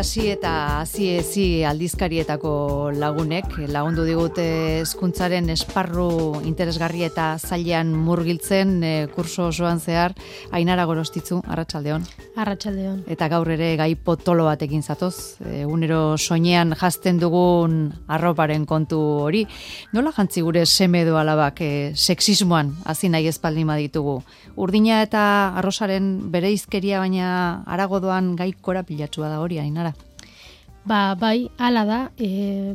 hasi eta hasi aldizkarietako lagundu digute hezkuntzaren esparru interesgarri eta zailean murgiltzen kurso osoan zehar. Ainara Gorostitzu, arratsaldeon. Arratsaldeon. Eta gaur ere gai potolo batekin zatoz, egunero soinean jazten dugun arroparen kontu hori. Nola jantzi gure seme edo alabak sexismoan hasi nahi espaldin baditugu? Urdina eta arrosaren bereizkeria baina arago doan gai korapilatsua da hori, Ainara. Bai, hala da,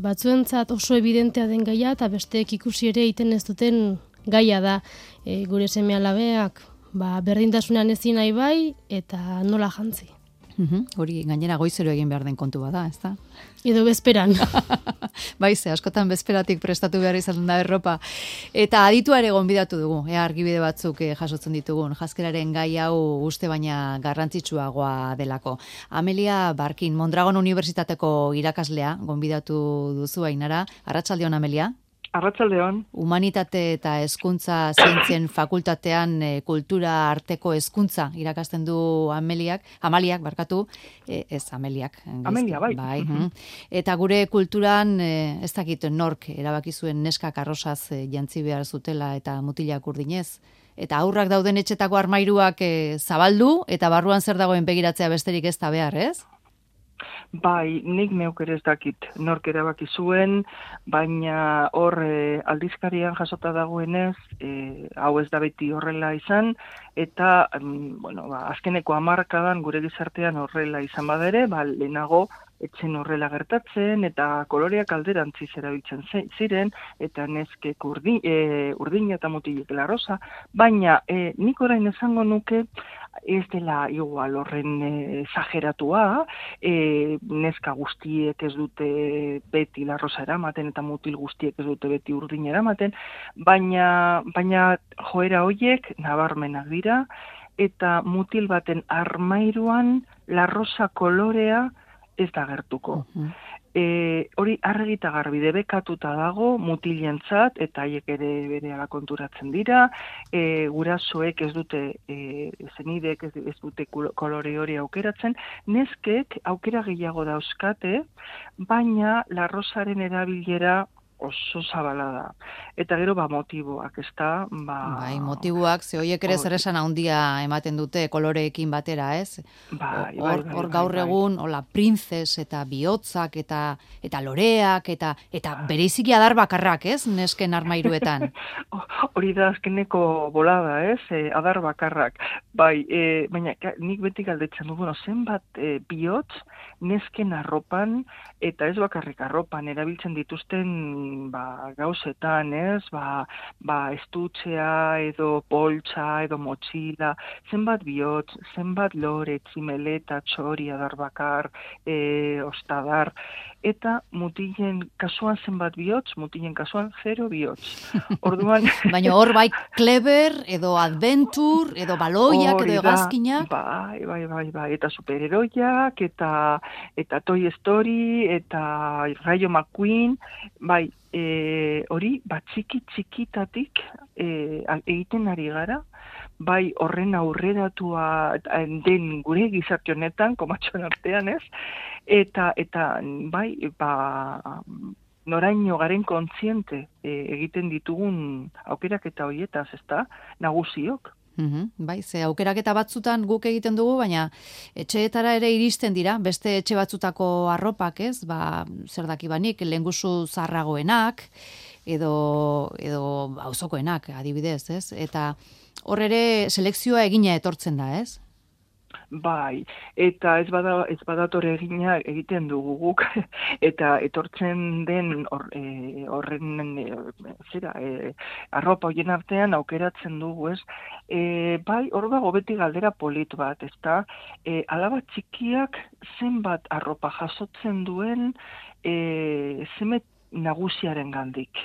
batzuentzat oso evidentea den gaia eta besteek ikusi ere egiten ez duten gaia da. Gure seme-alabeak berdintasunean ezin nahi bai eta nola jantzi. Hori gainera goizero egin behar den kontu bada, ezta? Edo bezperan. Bai, askotan bezperatik prestatu behar izan da erropa. Eta aditua ere gonbidatu dugu, argibide batzuk jasotzen ditugun, janzkeraren gai hau uste baina garrantzitsuagoa delako. Amelia Barkin, Mondragon Unibertsitateko irakaslea gonbidatu duzu, Ainara. Arratsaldeon, Amelia. Arratsaldeon. Humanitate eta hezkuntza zientzien fakultatean kultura arteko hezkuntza irakasten du Amaliak, ez Ameliak. Amelia, bai. Eta gure kulturan, ez dakit nork erabaki zuen neskak arrosaz jantzi behar zutela eta mutilak urdinez. Eta aurrak dauden etxetako armairuak zabaldu eta barruan zer dagoen begiratzea besterik ez da behar, ez? Bai, nik neuk ere ez dakit nork erabaki zuen, baina hor aldizkarian jasota dagoenez, hau ez da beti horrela izan, eta azkeneko hamarkadan gure gizartean horrela izan badere, lehenago etzen horrela gertatzen, eta koloreak alderantziz erabiltzen ziren, eta neskek urdina eta mutilek larrosa, baina nik orain esango nuke, ez dela igual horren exageratua, neska guztiek ez dute beti larrosa eramaten eta mutil guztiek ez dute beti urdina eramaten, baina joera horiek nabarmenak dira eta mutil baten armairuan larrosa kolorea ez da gertuko. Hori argita garbi debekatuta dago mutilentzat eta haiek ere berehala konturatzen dira, gurasoek ez dute zenidek ez dute kolore hori aukeratzen, neskek aukera gehiago dauzkate, baina larrosaren erabilera oso zabala da. Eta gero motiboak, ezta? Bai, motiboak, ze horiek ere zer esan handia ematen dute koloreekin batera, ez? Hor gaur egun, printzes eta bihotzak eta loreak eta bereiziki adar bakarrak, ez? Nesken armairuetan. Hori da azkeneko bolada, ez? Adar bakarrak. Bai, baina nik beti galdetzen du, zenbat bihotz nesken arropan eta ez bakarrik arropan erabiltzen dituzten gauzetan, ez? Estutzea edo poltsa edo motxila, zenbat bihotz, zenbat lore, tximeleta, txori, adar bakar, ostadar, eta mutilen kasuan zenbat bihotz, mutilen kasuan 0 bihotz. Orduan... Baina hor bai Clever edo Adventure edo baloiak edo hegazkinak. Bai, eta superheroiak eta Toy Story eta Rayo McQueen, bai, hori txikitatik egiten ari gara, bai horren aurreratua den gure gizarte honetan, komatxoen artean, ez? Eta bai, noraino garen kontziente egiten ditugun aukeraketa horietaz, ezta? Nagusiok. Bai, ze aukeraketa batzutan guk egiten dugu, baina etxeetara ere iristen dira, beste etxe batzutako arropak, ez? Zer dakibanik, lehengusu zarragoenak, edo auzokoenak, adibidez, ez? Eta hor ere selekzioa egina etortzen da, ez? Bai, eta ez badatore egina egiten dugu guk, eta etortzen den horren arropa horien artean aukeratzen dugu, ez? Bai, hor dago beti galdera polit bat, ezta? Alaba txikiak zenbat arropa jasotzen duen zeme nagusiaren gandik.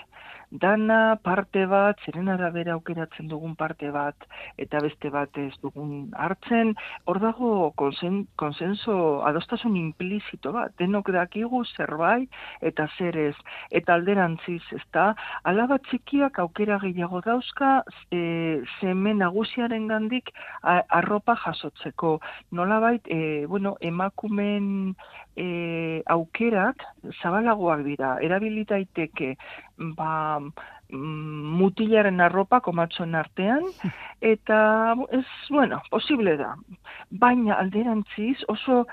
Dana parte bat, zeren arabera aukeratzen dugun parte bat, eta beste bat ez dugun hartzen, hor dago konsenso, adostasun implizito bat, denok dakigu zerbait eta zer ez, eta alderantziz, ezta, alaba txikiak aukera gehiago dauzka, seme nagusiaren gandik arropa jasotzeko. Nolabait, emakumen aukerak zabalagoak dira. Erabilitaiteke mutilaren arropa komatxoen artean, eta posible da. Baina alderantziz oso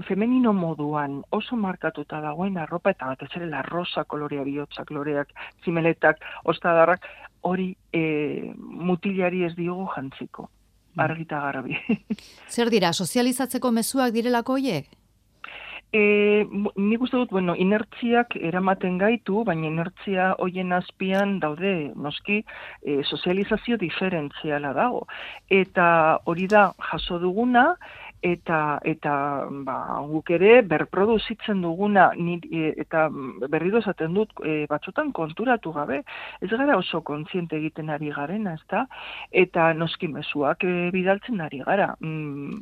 femenino moduan, oso markatuta dagoen arropa, eta batez ere la rosa kolorea, bihotza koloreak, zimeletak, ostadarrak, hori mutilari ez diogu jantziko. Argita garbi. Zer dira, sozializatzeko mezuak direlako hoiek? Nik uste dut, inertziak eramaten gaitu, baina inertzia hoien azpian daude, noski, sozializazio diferentziala dago. Eta hori da jaso duguna, eta guk ere berproduzitzen duguna, eta berriro esaten dut, batzutan konturatu gabe, ez gara oso kontziente egiten ari garena, ezta? Eta noski mezuak bidaltzen ari gara.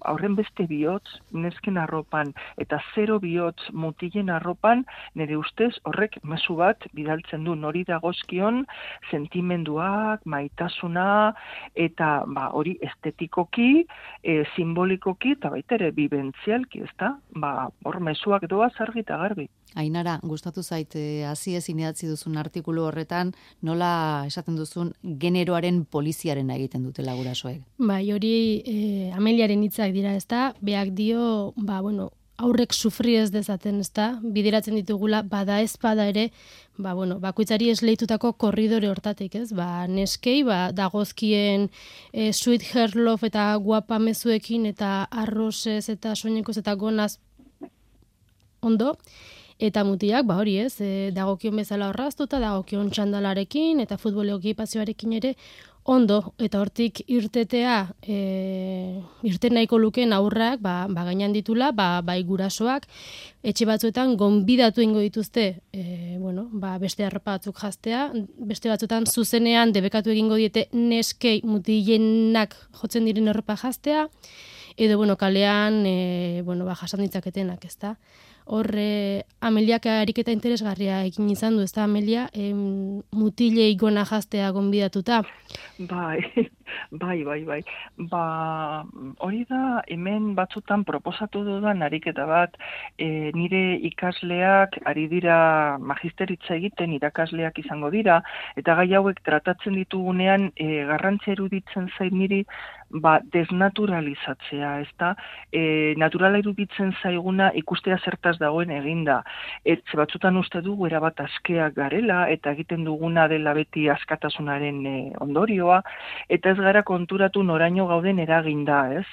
Aurren beste bihotz, nesken arropan, eta 0 bihotz mutilen arropan, nire ustez horrek mezu bat bidaltzen du, nori dagozkion sentimenduak, maitasuna, eta hori estetikoki, simbolikoki, eta baita ere bibentzialki, ezta? Hor mezuak doaz argi eta garbi. Ainara, gustatu zait, hasi ezin idatzi duzun artikulu horretan, nola esaten duzun generoaren poliziaren egiten dutela gurasoek? Bai, hori Ameliaren hitzak dira, ezta? Beak dio, aurrek sufri ez dezaten, ezta? Bideratzen ditugula, bada ez bada ere, bakoitzari esleitutako korridore hortatik, ez? Neskei, dagozkien sweet hair love eta guapa mezuekin eta arrozez eta soinekoz eta gonaz ondo, eta mutilak, hori ez, dagokion bezala horraztuta, dagokion txandalarekin eta futbol ekipazioarekin ere, ondo, eta hortik irtetea, irten nahiko lukeen aurrak, gainan ditula, bai gurasoak, etxe batzuetan gonbidatu ingo dituzte, beste arropa batzuk jastea, beste batzuetan zuzenean debekatu egingo diete neskei mutilenak jotzen diren arropa jastea, edo, kalean, jasan ditzaketenak, ezta? Hor, Ameliak ariketa interesgarria egin izan du, ez da, Amelia, mutilei gona jaztea gonbidatuta? Bai. Hori da, hemen batzutan proposatu dudan ariketa bat, nire ikasleak ari dira magisteritza egiten, irakasleak izango dira, eta gai hauek tratatzen ditugunean garrantzia eruditzen zait niri, desnaturalizatzea, ezta? Naturala iruditzen zaiguna ikustea zertaz dagoen eginda. Etxe batzutan uste dugu erabat askeak garela, eta egiten duguna dela beti askatasunaren ondorioa, eta ez gara konturatu noraino gauden eraginda, ez?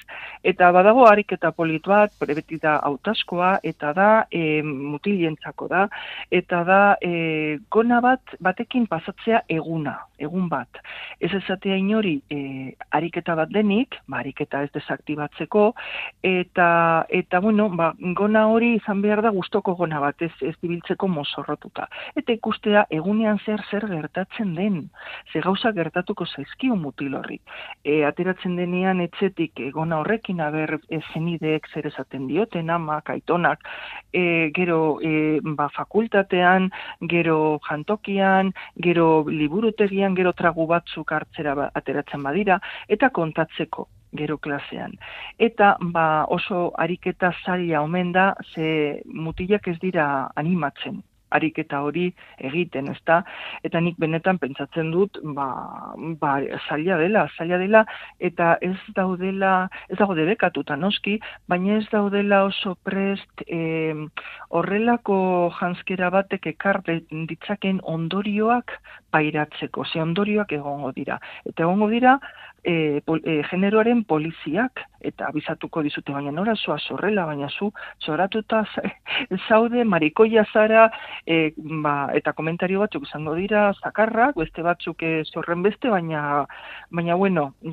Eta badago ariketa polit bat, beti da hautaskoa, eta da mutilentzako da, eta da gona batekin pasatzea egun bat. Ez esatea inori ariketa bat denik, ariketa ez desaktibatzeko, eta gona hori izan behar da gustoko gona bat, ez dibiltzeko mozorrotuta. Eta ikustea egunean zer gertatzen den, ze gauza gertatuko zaizkio mutil horri. Ateratzen denean etxetik gona horrekin, zenideek zer esaten dioten, amak, aitonak, gero fakultatean, gero jantokian, gero liburutegian, gero tragu batzuk hartzera ateratzen badira, eta kontatzeko gero klasean. Eta oso ariketa zaila omen da, ze mutilak ez dira animatzen ariketa hori egiten, ezta? Eta nik benetan pentsatzen dut, zaila dela, eta ez dago debekatuta noski, baina ez daudela oso prest horrelako janzkera batek ekar ditzaken ondorioak pairatzeko, ze ondorioak egongo dira. Eta egongo dira, generoaren poliziak, eta abizatuko dizute, baina nora zua zorrela, baina zu zoratuta zaude, marikoia zara, eta komentario batzuk izango dira, zakarrak, beste batzuk zorren beste, baina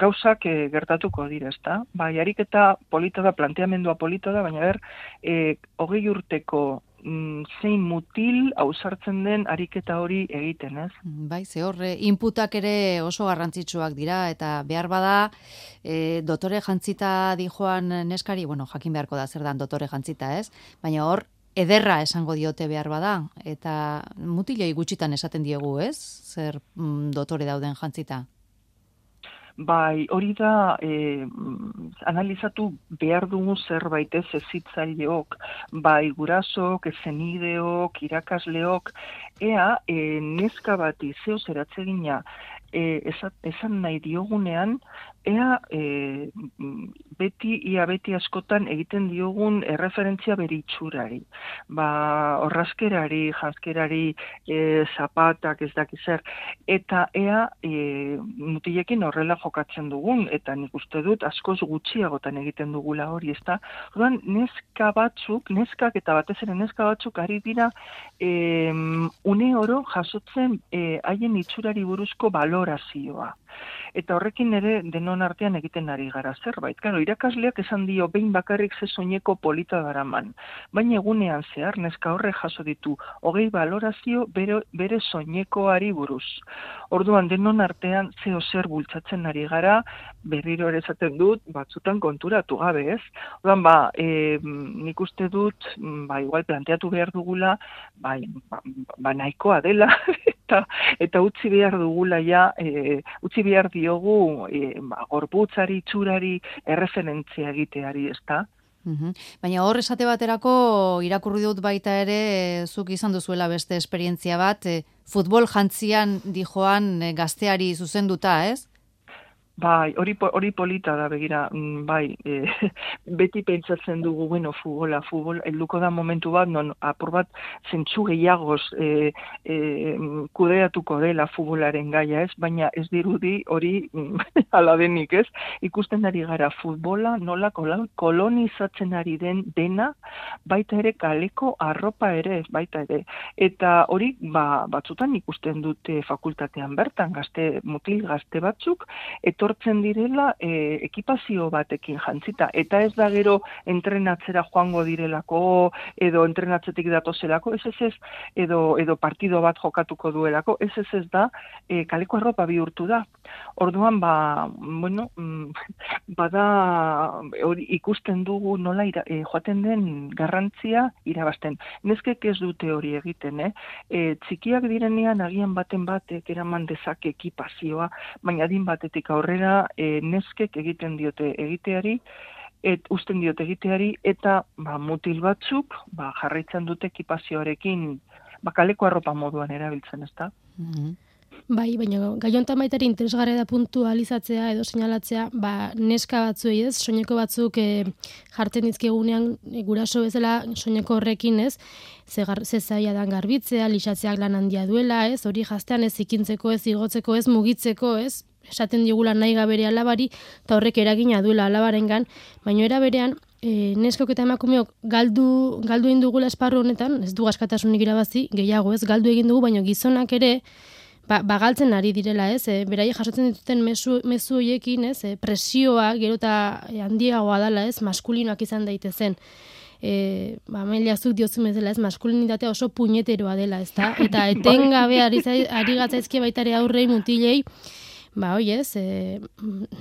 gauzak gertatuko dira, ezta? Bai, ariketa polita da, planteamendua polita da, baina 20 urteko zein mutil ausartzen den ariketa hori egiten, ez? Bai, ze horre, inputak ere oso garrantzitsuak dira, eta behar bada, dotore jantzita dijoan neskari, jakin beharko da zer dan dotore jantzita, ez? Baina hor, ederra esango diote behar bada, eta mutiloi gutxitan esaten diegu, ez? Zer dotore dauden jantzita? Bai, hori da analizatu behar dugu zerbait ez hezitzaileok, bai gurasok, zenideok, irakasleok, ea neska bati zeo zeratzegina esan nahi diogunean, ea beti askotan egiten diogun erreferentzia bere itxurari. Orrazkerari, janzkerari, zapatak ez dakiz zer, eta ea mutilekin horrela jokatzen dugun, eta nik uste dut askoz gutxiagotan egiten dugula hori, ezta? Orduan, neskak eta batez ere neska batzuk ari dira une oro jasotzen haien itxurari buruzko balorazioa. Eta horrekin ere denon artean egiten ari gara zerbait. Claro, irakasleak esan dio behin bakarrik ze soineko polita daraman. Baina egunean zehar neska horrek jaso ditu 20 balorazio bere soinekoari buruz. Orduan denon artean zeo zer bultzatzen ari gara, berriro ere esaten dut, batzutan konturatu gabe, ez? Orduan, nik uste dut, igual planteatu behar dugula, nahikoa dela, eta utzi behar dugula ja, utzi behar diogu gorputzari, itxurari, erreferentzia egiteari, ezta? Baina hor esate baterako irakurri dut baita ere zuk izan duzuela beste esperientzia bat, futbol jantzian dijoan gazteari zuzenduta, ez? Bai, hori polita da, begira, beti pentsatzen dugu, futbol, helduko da momentu bat, non apur bat zentsu gehiagoz kudeatuko dela futbolaren gaia, ez? Baina ez dirudi hori ala denik, ez? Ikusten ari gara futbola, nola kolonizatzen ari den dena, baita ere kaleko arropa ere, baita ere. Eta hori, batzutan ikusten dute fakultatean bertan, mutil gazte batzuk, etortzen direla ekipazio batekin jantzita. Eta ez da gero entrenatzera joango direlako, edo entrenatzetik datozelako, ez, edo partido bat jokatuko duelako, ez da, kaleko arropa bihurtu da. Orduan, bada hori ikusten dugu nola joaten den garrantzia irabazten. Neskek ez dute hori egiten, txikiak direnean agian baten batek eraman dezake ekipazioa, baina adin batetik aurrera neskek egiten diote egiteari, uzten diote egiteari, eta mutil batzuk jarraitzen dute ekipazioarekin kaleko arropa moduan erabiltzen, ezta? Bai, baina gaiontan baitari interesgarria da puntualizatzea edo seinalatzea, neska batzuei ez, soineko batzuk jartzen dizkigunean guraso bezala soineko horrekin ez, ze zaila dan garbitzea, lixatzeak lan handia duela ez, hori jaztean ez ikintzeko ez, igotzeko ez, mugitzeko ez, esaten digula nahi gabere alabari, eta horrek eragina duela alabarengan, baina era berean, neskok eta emakumeok galdu egin dugula esparru honetan, ez du askatasunik irabazi, gehiago ez, galdu egin dugu, baina gizonak ere, galtzen ari direla, ez? Beraiek jasotzen dituten mezu horiekin, ez? Presioa gero eta handiagoa dela, ez? Maskulinoak izan daitezen. Amelia zuk diozu bezala, ez? Maskulinitatea oso puñeteroa dela, ezta? Eta etengabe ari gatzaizkie baitare aurrei mutilei, ez?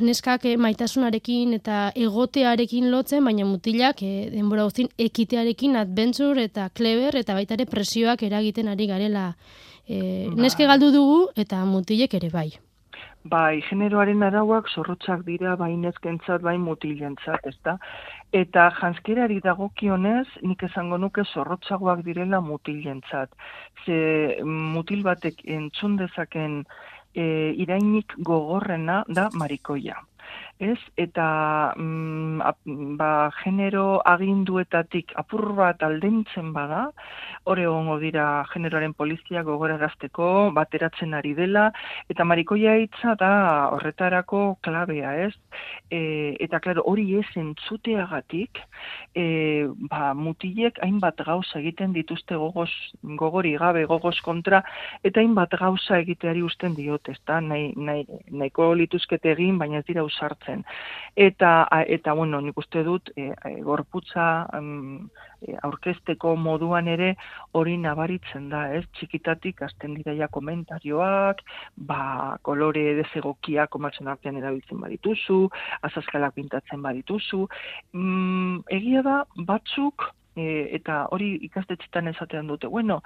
Neskak maitasunarekin eta egotearekin lotzen, baina mutilak denbora guztien ekitearekin adventure eta clever eta baitare presioak eragiten ari garela. Neske galdu dugu eta mutilek ere bai. Bai, generoaren arauak zorrotzak dira bai neskentzat, bai mutilentzat, ezta? Eta janzkerari dagokionez, nik esango nuke zorrotzagoak direla mutilentzat. Ze mutil batek entzun dezaken irainik gogorrena da marikoia. Ez? Eta genero aginduetatik apur bat aldentzen bada, hor egongo dira generoaren polizia gogorarazteko, bateratzen ari dela, eta marikoia hitza da horretarako klabea, ez? Eta, klaro, hori ez entzuteagatik, mutilek hainbat gauza egiten dituzte gogori gabe, gogoz kontra, eta hainbat gauza egiteari usten diote, ezta? Nahiko lituzkete egin, baina ez dira usartzen. Eta nik uste dut, gorputza aurkezteko moduan ere hori nabaritzen da, ez? Txikitatik hasten dira ja komentarioak, kolore desegokiak komatzen artean erabiltzen badituzu, azazkalak pintatzen badituzu. Egia da, batzuk eta hori ikastetxetan esatean dute, bueno,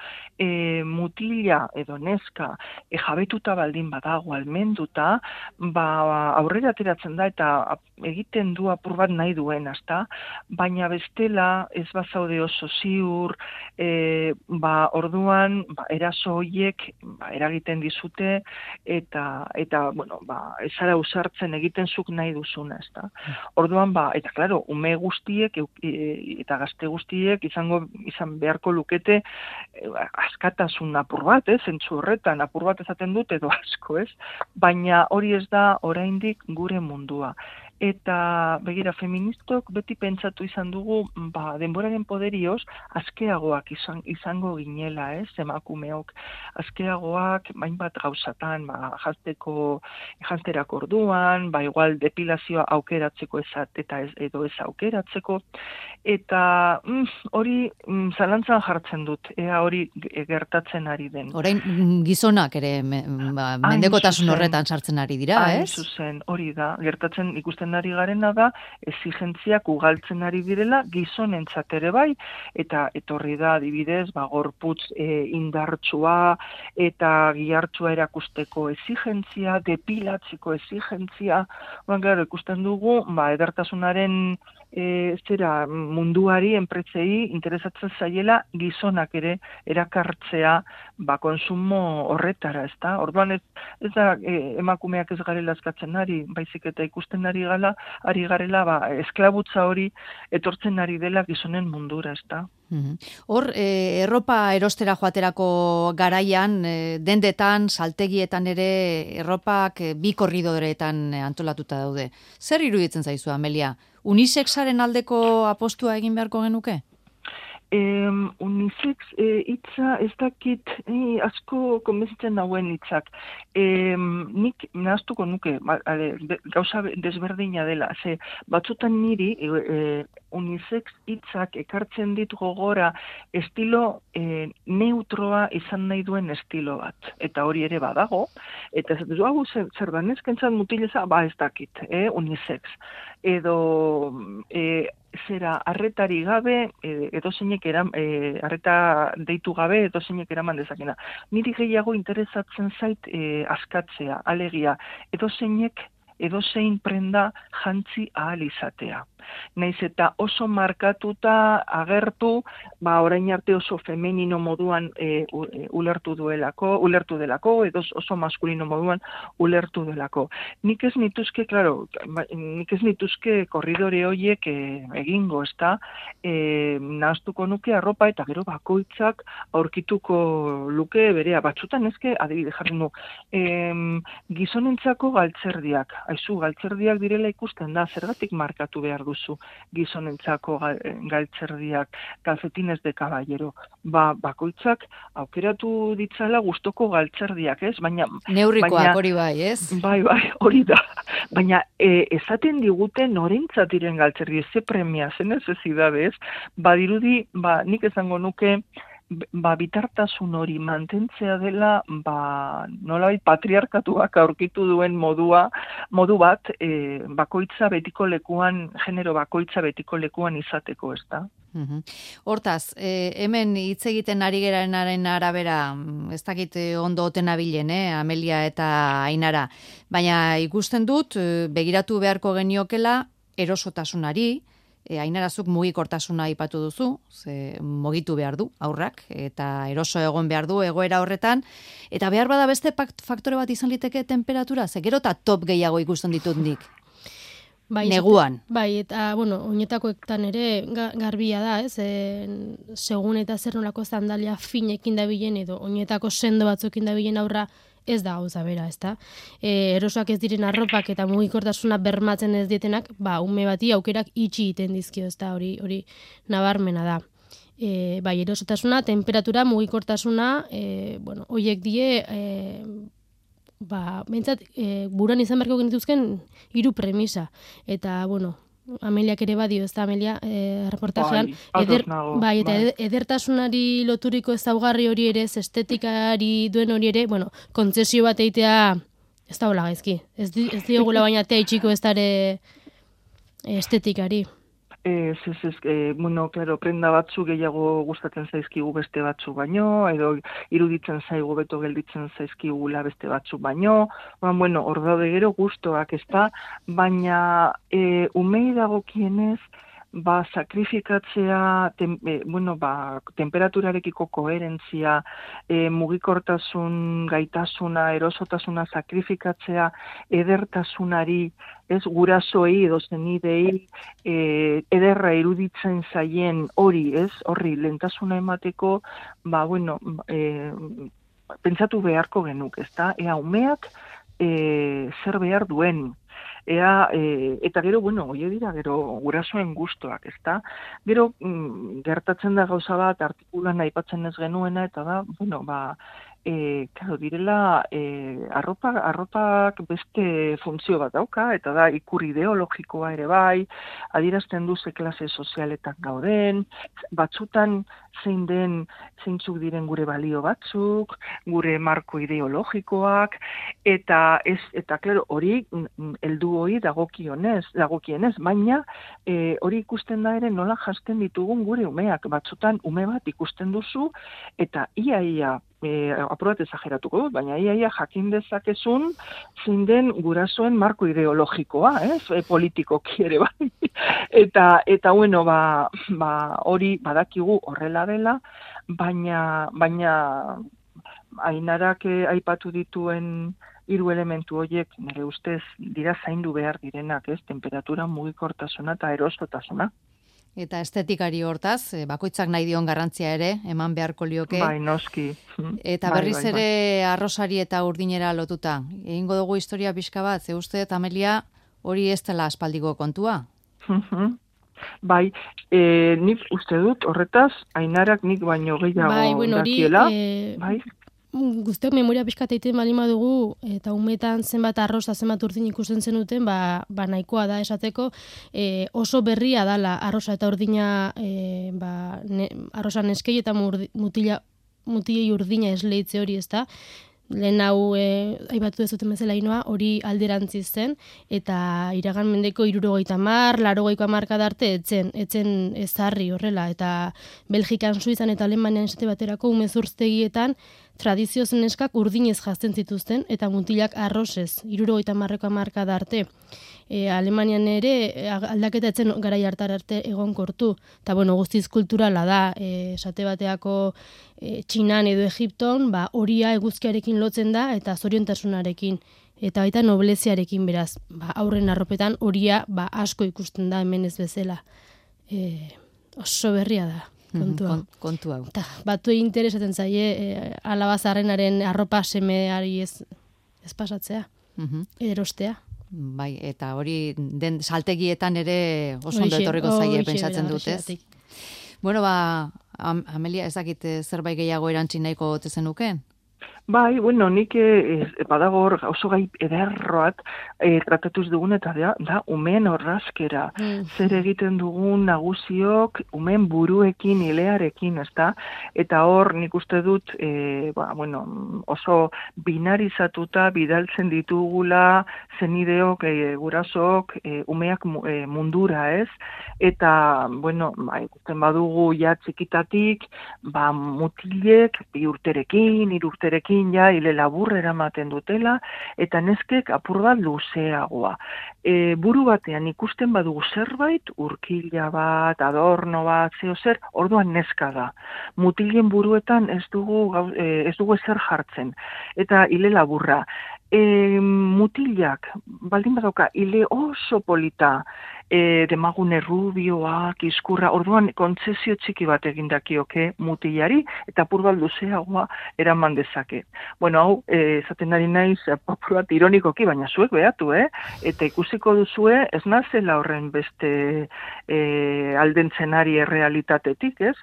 mutila edo neska jabetuta baldin badago almenduta, aurrera ateratzen da eta egiten du apur bat nahi duen, ezta? Baina bestela ez bazaude oso ziur, orduan eraso horiek eragiten dizute eta bueno, ez zara usartzen egiten zuk nahi duzuna, ezta? Orduan eta claro, ume guztiek eta gazte guztiek izan beharko lukete askatasun apur bat, zentzu horretan apur bat esaten dut edo asko, ez? Baina hori ez da oraindik gure mundua. Eta begira, feministok beti pentsatu izan dugu, denboraren poderioz, askeagoak izango ginela, emakumeok. Askeagoak, bainbat gauzatan, janzterako orduan, igual depilazioa aukeratzeko edo ez aukeratzeko. Eta hori zalantzan jartzen dut, ea hori gertatzen ari den. Orain gizonak ere mendekotasun horretan sartzen ari dira, ez? Hain zuzen, hori da, gertatzen ikusten ari garena da, exigentziak ugaltzen ari direla, gizonentzat ere bai, eta etorri da, adibidez, gorputz indartsua eta gihartsua erakusteko exigentzia, depilatzeko exigentzia, ikusten dugu, edertasunaren munduari, enpretzei, interesatzen zaiela gizonak ere erakartzea konsumo horretara, ezta? Orduan ez da emakumeak ez garela eskatzen ari, baizik eta ikusten ari garela esklabutza hori etortzen ari dela gizonen mundura, ezta? Hor, erropa erostera joaterako garaian, dendetan, saltegietan ere, erropak bi korridoretan antolatuta daude. Zer iruditzen zaizu, Amelia? Unisexaren aldeko apostua egin beharko genuke? Unisex hitza ez dakit asko konbentzitzen dauen hitzak. Nik nahaztuko nuke, gauza desberdina dela, batzutan niri unisex hitzak ekartzen dit gogora estilo neutroa izan nahi duen estilo bat. Eta hori ere badago, eta hau zer da, neskentzat mutileza, ez dakit, unisex. Edo zera arretari gabe, edozeinek arreta deitu gabe, edozeinek eraman dezakena. Niri gehiago interesatzen zait askatzea, alegia, edozein prenda jantzi ahal izatea. Naiz eta oso markatuta agertu, orain arte oso femenino moduan ulertu delako, edo oso maskulino moduan ulertu delako. Nik ez nituzke korridore horiek egingo, ezta? Nahaztuko nuke arropa eta gero bakoitzak aurkituko luke berea. Batzutan ezke, adibide jarri nu, gizonentzako galtzerdiak. Aizu, galtzerdiak direla ikusten da, zergatik markatu behar duzu gizonentzako galtzerdiak, calcetines de caballero. Bakoitzak aukeratu ditzala gustoko galtzerdiak, ez? Neurrikoak hori bai, ez? Bai, hori da. Baina esaten digute norentzat diren galtzerdi, ze premia, ze necesidade, ez? Badirudi, nik esango nuke, bitartasun hori mantentzea dela, nolabait patriarkatuak aurkitu duen modu bat, bakoitza betiko lekuan, genero bakoitza betiko lekuan izateko, ez da? Hortaz, hemen hitz egiten ari gerenaren arabera, ez dakit ondo oten abilen, Amelia eta Ainara, baina ikusten dut, begiratu beharko geniokela erosotasunari, Ainarazuk mugikortasuna aipatu duzu, mugitu behar du aurrak, eta eroso egon behar du egoera horretan, eta behar bada beste faktore bat izan liteke temperatura, gero eta top gehiago ikusten ditut nik. Neguan. Bai, eta, oinetakoetan ere garbia da, ez? Segun eta zer nolako zandalia finekin dabilen edo oinetako sendo batzuekin dabilen aurra ez da gauza bera, ezta? Erosoak ez diren arropak eta mugikortasuna bermatzen ez dietenak, ume bati aukerak itxi egiten dizkio, ezta? Hori nabarmena da. Bai, erosotasuna, temperatura, mugikortasuna, horiek die, behintzat, buruan izan beharko genituzken 3 premisa. Eta, Ameliak ere badio, ez da, Amelia, reportajean. Eta edertasunari loturiko ezaugarri hori ere, estetikari duen hori ere, kontzesio bat eitea, ez da hola gaizki. Ez diogula baina tea itxiko ez dare estetikari. Bueno, claro, prenda batzu gehiago gustatzen zaizkigu beste batzu baino, edo iruditzen zaigu beto gelditzen zaizkigula beste batzu baino, bueno, hor daude gero gustoak, ezta, baina umei dagokienez, sakrifikatzea, temperaturarekiko koherentzia, mugikortasun, gaitasuna, erosotasuna sakrifikatzea, edertasunari, ez gurasoei edo zenidei ederra iruditzen zaien hori, ez? Horri lehentasuna emateko, pentsatu beharko genuk, ezta? Ea umeak zer behar duen. Eta gero, hori dira, gero gurasoen gustoak, ezta? Gero, gertatzen da gauza bat, artikulan aipatzen ez genuena, eta da, claro, direla, arropak beste funtzio bat dauka, eta da ikur ideologikoa ere bai, adierazten du ze klase sozialetan gauden, batzutan zeintzuk diren gure balio batzuk, gure marko ideologikoak, eta claro, hori heldu hori dagokienez, baina hori ikusten da ere nola jasten ditugun gure umeak, batzutan ume bat ikusten duzu, eta ia aprobat ezageratuko dut, baina ia jakin dezakezun zein den gurasoen marko ideologikoa, politikoki ere bai. Eta hori badakigu horrela dela, baina Ainarak aipatu dituen 3 elementu horiek nire ustez dira zaindu behar direnak, temperatura, mugikortasuna eta erosotasuna. Eta estetikari hortaz, bakoitzak nahi dion garrantzia ere, eman beharko lioke. Bai, noski. Eta berriz ere arrosari eta urdinera lotuta. Egingo dugu historia pixka bat, ze uste, Amelia, hori ez dela aspaldiko kontua? Bai, nik uste dut, horretaz, Ainarak nik baino gehiago dakiela. Bai, guztiak memoria pixkat egiten bali badugu, eta umetan zenbat arroz eta zenbat urdin ikusten zenuten, nahikoa da esateko, oso berria dala arroza eta urdina, arroza neskei eta mutilei urdina esleitze hori, ez da? Lehen hau, aibatu dezuten bezala inoa, hori alderantziz zen, eta iragan mendeko 70, 80ko hamarkada arte etzen ezarri horrela, eta Belgikan, Suizan eta Alemanian esate baterako umezurztegietan tradizioz neskak urdinez jazten zituzten, eta mutilak arrozez, 70ko hamarkada arte. Alemanian ere aldaketa etzen garai hartar arte egonkortu, eta guztiz kulturala da, esate bateako Txinan edo Egipton, horia eguzkiarekin lotzen da, eta zoriontasunarekin, eta baita nobleziarekin beraz, aurren arropetan horia asko ikusten da hemen ez bezala. Oso berria da. Kontu hau. Batu interesatzen zaie alabazarrenaren arropa semeari ez pasatzea, erostea. Bai, eta hori den saltegietan ere oso ondo etorriko zaie pentsatzen dut, ez? Bueno, Amelia, ez dakit zerbait gehiago erantzi nahiko ote zenuken? Bai, nik badago oso gai ederroat tratatuz dugun eta da umeen orrazkera. Zer egiten dugun nagusiok umeen buruekin, ilearekin, ezta? Eta hor nik uste dut oso binarizatuta bidaltzen ditugula zenideok, gurasok, umeak mundura, ez? Eta, ikusten badugu ja txikitatik, mutilek 2 urterekin, 3 urterekin, hile labur eramaten dutela, eta neskek apur bat luzeagoa. Buru batean ikusten badugu zerbait, urkila bat, adorno bat, zer, orduan neska da. Mutilen buruetan ez dugu ezer jartzen. Eta hile laburra. Mutilak, baldin badauka, hile oso polita, demagune rubioak, izkurra, orduan kontzesio txiki bat egindakioke mutilari, eta apur bat luzeagoa eraman dezake. Hau, esaten ari naiz, apur bat ironikoki, baina zuek behatu, eta ikusiko duzue, ez nazela horren beste aldentzenari errealitatetik, ez?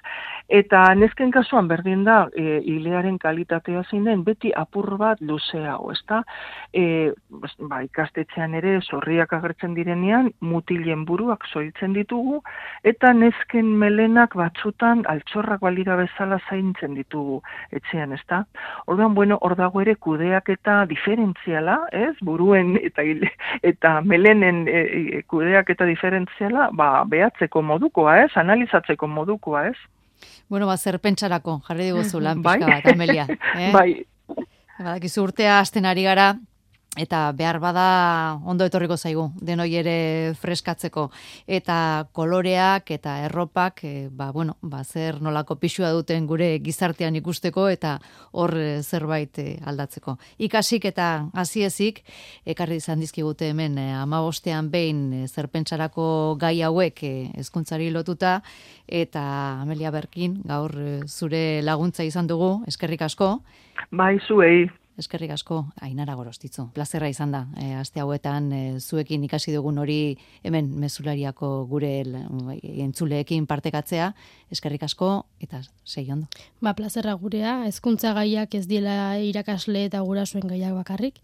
Eta nesken kasuan berdin da, hilearen kalitatea zein den, beti apur bat luzeago, ez da? Ikastetxean ere, zorriak agertzen direnean, mutilen neskatoen buruak zoritzen ditugu, eta nesken melenak batzutan altxorrak balira bezala zaintzen ditugu etxean, ezta? Orduan, hor dago ere kudeaketa diferentziala, ez? Buruen eta melenen kudeaketa diferentziala, behatzeko modukoa, ez? Analizatzeko modukoa, ez? Zer pentsarako, jarri diguzu lan pixka bat, Amelia. Bai. Badakizu urtea hasten ari gara, eta behar bada ondo etorriko zaigu, denoi ere freskatzeko. Eta koloreak eta erropak, zer nolako pixua duten gure gizartean ikusteko, eta hor zerbait aldatzeko. Ikasik eta hasiezik ekarri izan dizkigute hemen 15ean behin zerpentsarako gai hauek hezkuntzari lotuta, eta Amelia Berkin, gaur zure laguntza izan dugu, eskerrik asko. Bai, zuei. Eskerrik asko, Ainara Gorostitzu. Plazerra izan da, aste hauetan zuekin ikasi dugun hori hemen mezulariako gure entzuleekin partekatzea. Eskerrik asko eta sei ondo. Plazerra gurea, hezkuntza gaiak ez diela irakasle eta gurasoen gaiak bakarrik,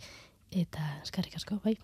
eta eskerrik asko, bai.